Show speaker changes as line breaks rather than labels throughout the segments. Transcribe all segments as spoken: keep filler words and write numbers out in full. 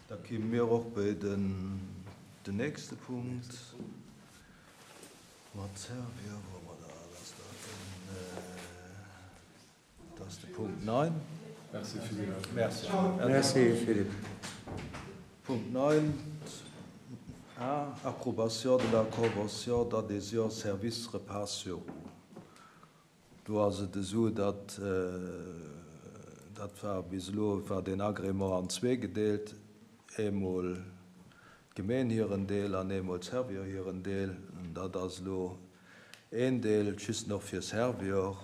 Da komme mir och bei den, den nächste Punkt. Mat Servior, wo mer da, das da den, äh, das ist de Punkt neun.
Merci Philippe.
Merci.
Merci Philippe.
Punkt neun. A. Approbation de la convention d'adhésion service repas sur roues. Do ass et esou, datt, dat war bis elo war den Agrément an zwee gedeelt, eemol d'Gemeen hiren Deel an eemol d'Servior hiren Deel. Dat ass elo een Deel just nach fir Servior.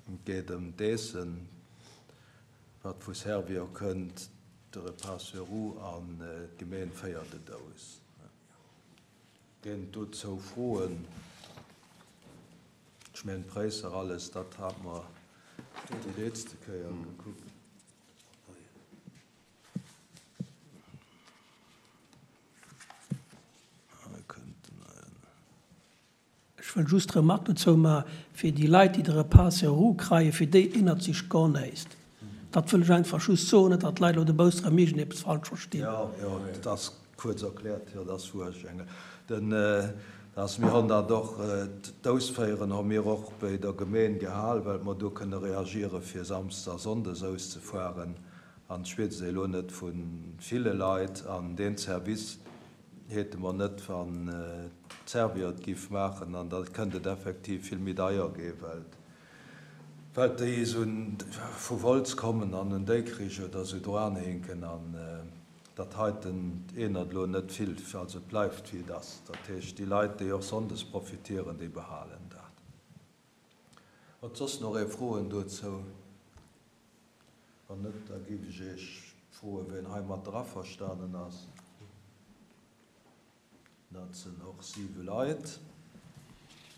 Et geet ëm d'Eessen, wat vu Servior kënnt, de Repas sur roues an d'Gemeen féiert et aus. Géint dozou Froen? Ech mengen d'Präisser alles, dat hat mer déi letzte Kéier gekuckt. Hei kënnten
Ech wëll just Remarque dozou maachen, fir déi Leit, déi de Repas sur roues kréien, fir déi ännert sech gar näischt. Dat wëll ech einfach just soen, net datt d'Leit elo de Bouss erëm iergendeppes falsch verstinn.
Jo, jo, dat ass kuerz erkläert, jo, dat ass wuercht. Den, dass mir hunn dat och, d'Ausféieren hu mir och bei der Gemeen gehal, well mer do kënne reagiere fir Samsdes a Sonndes auszefueren. An ech weess elo net vu ville Leit an deen Service hätte mer net, wann d'Servior et giff maachen, an da kënnt et effektiv vill méi deier ginn, well well déi esou vu Wolz kommen an un Déikrich oder esou dranhinken an dat heiten ännert elo net vill, also et bleift wéi et ass. Dat heescht, déi Leit, déi och sonndes profitieren, déi behalen dat. Huet soss nach ee Froen dozou? Wann net, da géif ech Iech froen, wien heimat averstanen ass. Dat sinn och siwe Leit.